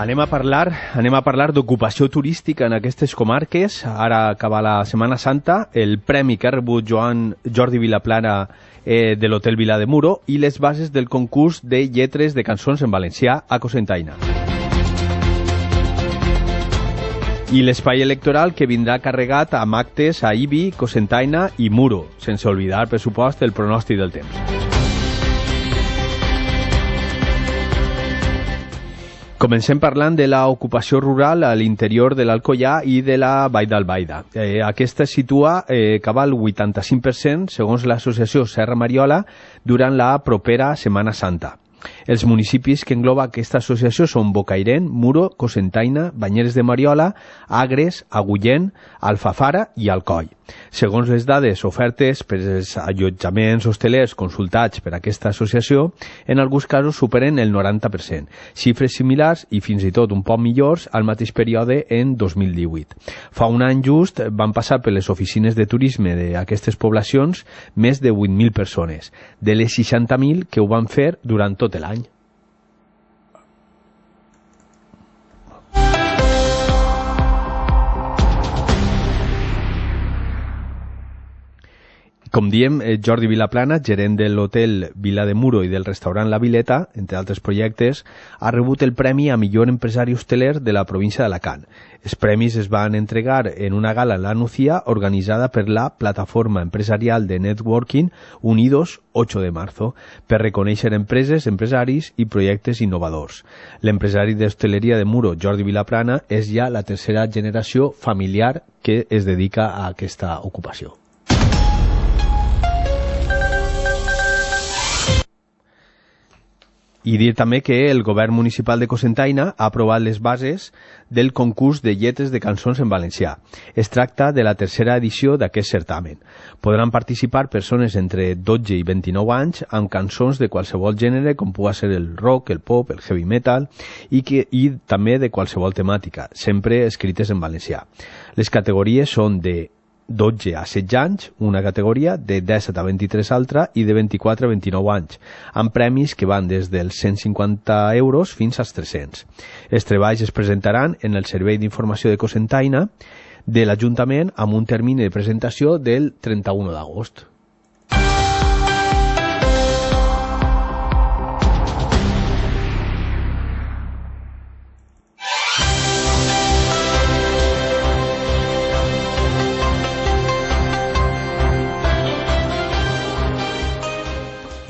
Anem a parlar d'ocupació turística en aquestes comarques. Ara acaba la Setmana Santa, el premi que ha rebut Jordi Vilaplana de l'Hotel Vila de Muro i les bases del concurs de lletres de cançons en valencià a Cocentaina. I l'espai electoral que vindrà carregat amb actes a Ibi, Cocentaina i Muro, sense oblidar, per supost, el pronòstic del temps. Comencem parlant de l'ocupació rural a l'interior de l'Alcoià i de la Vall d'Albaida. Aquesta es situa cap al 85%, segons l'associació Serra Mariola, durant la propera Setmana Santa. Els municipis que engloba aquesta associació són Bocairent, Muro, Cocentaina, Banyeres de Mariola, Agres, Agullent, Alfafara i Alcoi. Segons les dades ofertes per els allotjaments hostelers consultats per aquesta associació, en alguns casos superen el 90%, xifres similars i fins i tot un poc millors al mateix període en 2018. Fa un any just van passar per les oficines de turisme d'aquestes poblacions més de 8.000 persones, de les 60.000 que ho van fer durant tot l'any. Com diem, Jordi Vilaplana, gerent de l'Hotel Vila de Muro i del restaurant La Vileta, entre altres projectes, ha rebut el premi a millor empresari hosteler de la província d'Alacant. Els premis es van entregar en una gala en la Nucía organitzada per la plataforma empresarial de networking Unidos 8 de marzo per reconèixer empreses, empresaris i projectes innovadors. L'empresari d'hostaleria de Muro, Jordi Vilaplana, és ja la tercera generació familiar que es dedica a aquesta ocupació. I dir també que el govern municipal de Cocentaina ha aprovat les bases del concurs de lletres de cançons en valencià. Es tracta de la tercera edició d'aquest certamen. Podran participar persones entre 12 i 29 anys amb cançons de qualsevol gènere, com pugui ser el rock, el pop, el heavy metal, i també de qualsevol temàtica, sempre escrites en valencià. Les categories són de 12 a 16 anys, una categoria, de 17 a 23 altra i de 24 a 29 anys, amb premis que van des dels 150 euros fins als 300. Els treballs es presentaran en el Servei d'Informació de Cocentaina de l'Ajuntament amb un termini de presentació del 31 d'agost.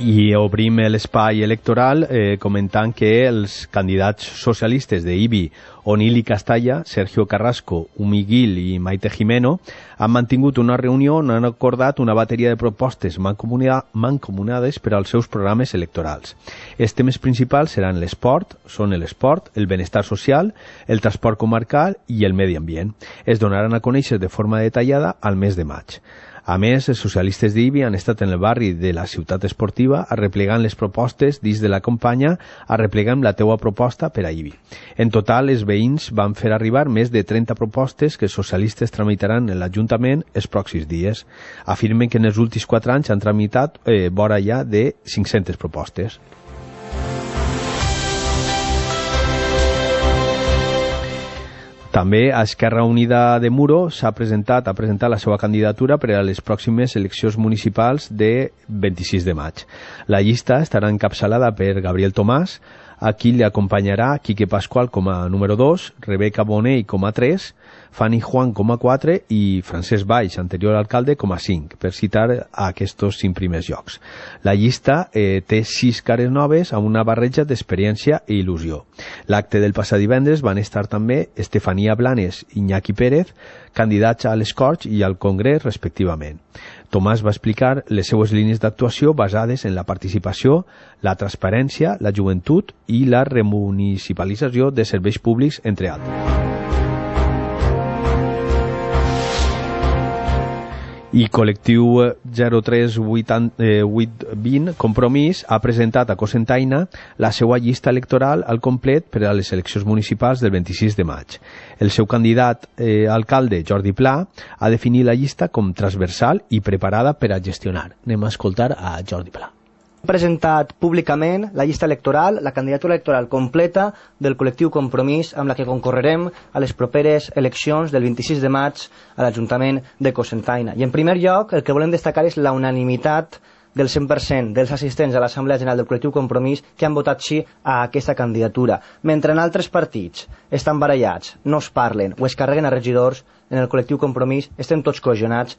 I obrim l'espai electoral comentant que els candidats socialistes d'Ibi, Onil i Castalla, Sergio Carrasco, Umi Gil i Maite Jimeno, han mantingut una reunió on han acordat una bateria de propostes mancomunades per als seus programes electorals. Els temes principals seran l'esport, el benestar social, el transport comarcal i el medi ambient. Es donaran a conèixer de forma detallada al mes de maig. A més, els socialistes d'Ibi han estat en el barri de la ciutat esportiva arreplegant les propostes dins de la campanya Arreplega'm la teua proposta per a Ibi. En total, els veïns van fer arribar més de 30 propostes que els socialistes tramitaran en l'Ajuntament els pròxims dies. Afirmen que en els últims 4 anys han tramitat vora ja de 500 propostes. També a Esquerra Unida de Muro ha presentat la seva candidatura per a les pròximes eleccions municipals de 26 de maig. La llista estarà encapçalada per Gabriel Tomàs, a qui li acompanyarà Quique Pascual com a número 2, Rebeca Bonell com a 3, Fanny Juan com a 4 i Francesc Baix, anterior alcalde, com a 5, per citar a aquests 5 primers llocs. La llista té 6 cares noves amb una barreja d'experiència i il·lusió. L'acte del passat divendres van estar també Estefania Blanes i Iñaki Pérez, candidats a les Corts i al Congrés, respectivament. Tomàs va explicar les seues línies d'actuació basades en la participació, la transparència, la joventut i la remunicipalització de serveis públics, entre altres. I Col·lectiu 03820 Compromís ha presentat a Cocentaina la seva llista electoral al complet per a les eleccions municipals del 26 de maig. El seu candidat alcalde, Jordi Pla, ha definit la llista com transversal i preparada per a gestionar. Anem a escoltar a Jordi Pla. presentat públicament la llista electoral, la candidatura electoral completa del col·lectiu Compromís amb la que concorrerem a les properes eleccions del 26 de maig a l'Ajuntament de Cocentaina. I en primer lloc, el que volem destacar és la unanimitat del 100% dels assistents a l'Assemblea General del col·lectiu Compromís que han votat sí a aquesta candidatura. Mentre en altres partits estan barallats, no es parlen o es carreguen a regidors, en el col·lectiu Compromís estem tots cohesionats.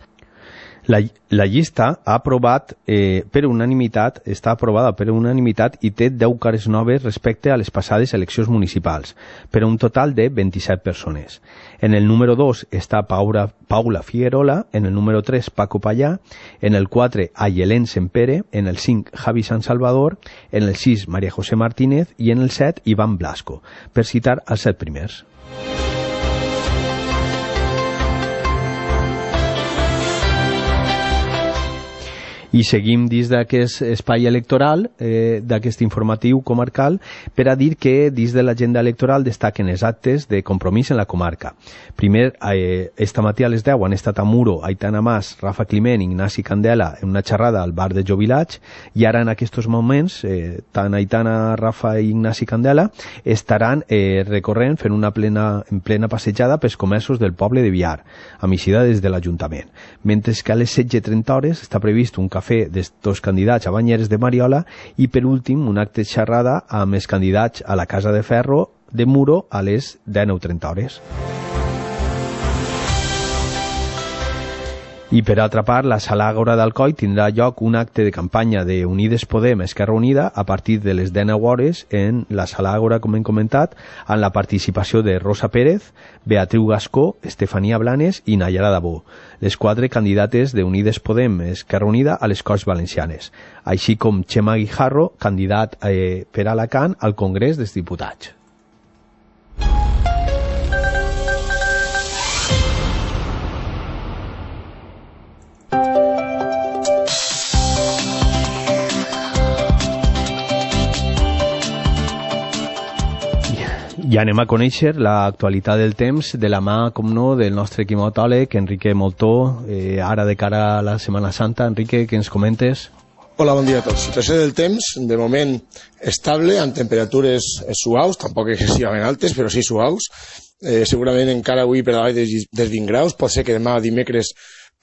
La llista ha aprovat per unanimitat, està aprovada per unanimitat i té 10 cares noves respecte a les passades eleccions municipals, per un total de 27 persones. En el número 2 està Paula Figuerola, en el número 3 Paco Pallà, en el 4 Ayelén Sempere, en el 5 Javi San Salvador, en el 6 María José Martínez i en el 7 Iván Blasco, per citar els 7 primers. I seguim dins d'aquest espai electoral, d'aquest informatiu comarcal, per a dir que dins de l'agenda electoral destaquen els actes de compromís en la comarca. Primer, esta matí a les 10 han estat a Muro Aitana Mas, Rafa Climent i Ignasi Candela en una xerrada al bar de Jovilats, i ara en aquests moments tant Aitana, Rafa i Ignasi Candela estaran recorrent fent una plena passejada pels comerços del poble de Biar, amb eixida des de l'Ajuntament. Mentre que a les 16:30 està previst un cafè d'estos candidats a Banyeres de Mariola i per últim un acte de xerrada amb els candidats a la Casa de Ferro de Muro a les 19:30. I per altra part, la Sala Àgora d'Alcoi tindrà lloc un acte de campanya de Unides Podem Esquerra Unida a partir de les 19 hores en la Sala Àgora, com hem comentat, amb la participació de Rosa Pérez, Beatriu Gascó, Estefania Blanes i Nayara Dabó, les 4 candidates de Unides Podem Esquerra Unida a les Corts Valencianes, així com Xema Guijarro, candidat per Alacant al Congrés dels Diputats. I anem a conèixer l'actualitat del temps de la mà, com no, del nostre climatòleg, Enrique Moltó, ara de cara a la Setmana Santa. Enrique, què ens comentes? Hola, bon dia a tots. Situació del temps, de moment estable, amb temperatures suaus, tampoc excessivament altes, però sí suaus. Segurament encara avui per davall dels 20 graus, pot ser que demà dimecres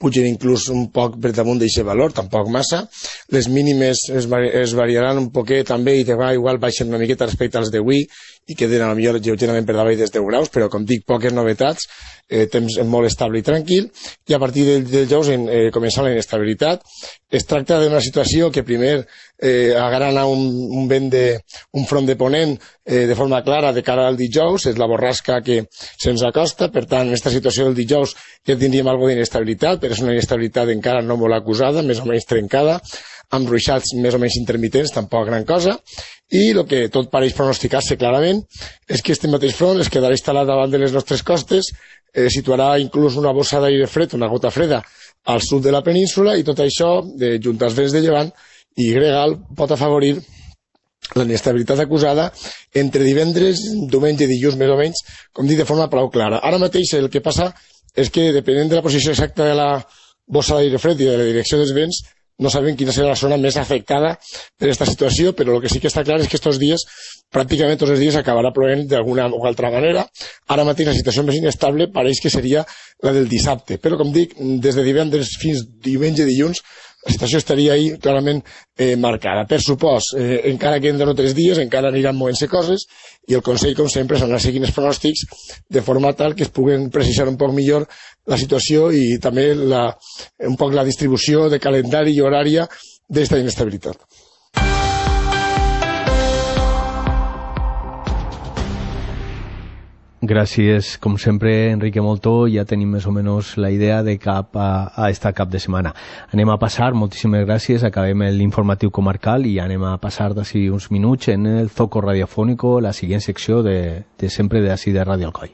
pugen inclús un poc per damunt d'aquest valor, tampoc massa. Les mínimes es variaran un poquet també i igual baixen una miqueta respecte als d'avui i queden a la millor lleugerament per davall dels 10 graus, però com dic, poques novetats, temps molt estable i tranquil, i a partir del dijous comença la inestabilitat. Es tracta d'una situació que primer agrana un vent un front de ponent de forma clara de cara al dijous, és la borrasca que se'ns acosta, per tant, en aquesta situació del dijous ja tindríem alguna d'inestabilitat, però és una inestabilitat encara no molt acusada, més o menys trencada, amb ruixats més o menys intermitents, tampoc gran cosa, i el que tot pareix pronosticar-se clarament és que este mateix front es quedarà instal·lat davant de les nostres costes, situarà inclús una bossa d'aire fred, una gota freda, al sud de la península, i tot això, junt als vents de llevant i gregal, pot afavorir la inestabilitat acusada entre divendres, diumenge i dilluns més o menys, com dic, de forma prou clara. Ara mateix el que passa és que, depenent de la posició exacta de la bossa d'aire fred i de la direcció dels vents, no sabem quina serà la zona més afectada per aquesta situació, però el que sí que està clar és que aquests dies, pràcticament tots els dies, acabarà plovent d'alguna o altra manera. Ara mateix la situació més inestable pareix que seria la del dissabte, però com dic, des de divendres fins diumenge i dilluns, la situació estaria ahí clarament marcada. Per supòs, encara que en 2 o 3 dies encara aniran movent-se coses i el Consell, com sempre, s'anirà seguint els pronòstics de forma tal que es puguen precisar un poc millor la situació i també un poc la distribució de calendari i horària d'esta inestabilitat. Gràcies, com sempre, Enrique Moltó. Ja tenim més o menys la idea de cap a esta cap de setmana. Anem a passar, moltíssimes gràcies, acabem l'informatiu comarcal i anem a passar d'ací uns minuts en el Zoco Radiofónico, la següent secció de sempre d'ací de Ràdio Alcoi.